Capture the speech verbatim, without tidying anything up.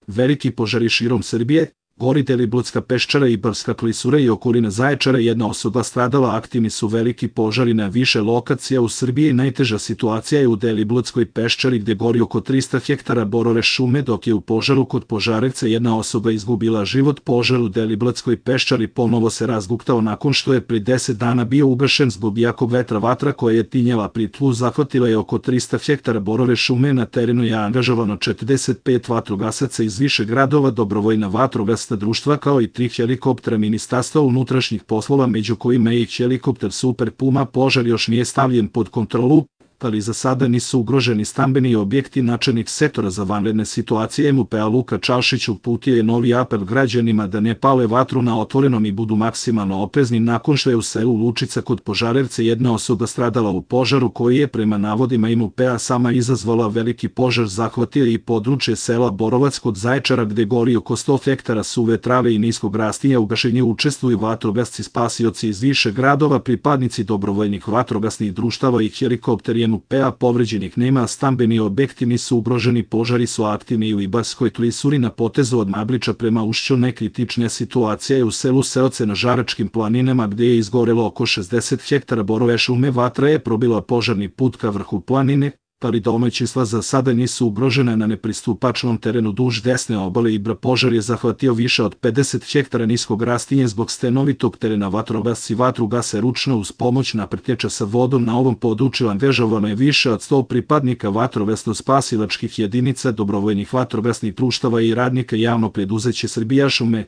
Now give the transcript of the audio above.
Veliki požari širom Srbije, gori Deliblatska peščara i Barska klisura i okolina Zaječara, jedna osoba stradala. Aktivni su veliki požari na više lokacija u Srbiji. Najteža situacija je u Deliblatskoj peščari gdje gori oko trista hektara borove šume, dok je u požaru kod Požarevca jedna osoba izgubila život. Požar u Deliblatskoj peščari ponovo se razbuktao nakon što je pri deset dana bio ugašen zbog jakog vetra. Vatra koja je tinjela pri tlu zahvatila je oko trista hektara borove šume. Na terenu je angažovano četrdeset pet vatrogasaca iz više gradova, dobrovoljna vatrogasna društva kao i tri helikoptera Ministarstva unutrašnjih poslova, među kojima je i helikopter Super Puma. Požar još nije stavljen pod kontrolu, ali za sada nisu ugroženi stambeni objekti. Načelnik sektora za vanredne situacije M U P-a Luka Čalšić uputio je novi apel građanima da ne pale vatru na otvorenom i budu maksimalno oprezni nakon što je u selu Lučica kod Požarevca jedna osoba stradala u požaru koji je prema navodima M U P-a sama izazvala. Veliki požar zahvatio i područje sela Borovac kod Zaječara gde gori oko sto hektara suve trave i niskog rastinja. U gašenju učestvuju vatrogasci spasioci iz više gradova, pripadnici dobrovoljnih vatrogasnih društava i helikopteri M U P-a. Povređenih nema, stambeni objekti nisu ugroženi. Požari su aktivni i u Ibarskoj klisuri na potezu od Mabliča prema Ušću. Nekritična situacija je u selu Seoce na Žaračkim planinama gdje je izgorelo oko šezdeset hektara borove šume. Vatra je probila požarni put ka vrhu planine, ali domaćinstva za sada nisu ugrožena. Na nepristupačnom terenu duž desne obale Ibra požar je zahvatio više od pedeset hektara niskog rastinja. Zbog stenovitog terena vatrogasci vatru gase ručno uz pomoć naprtjača sa vodom. Na ovom području angažovano je više od sto pripadnika vatrogasno-spasilačkih jedinica, dobrovoljnih vatrogasnih društava i radnika. Javno preduzeće Srbijašume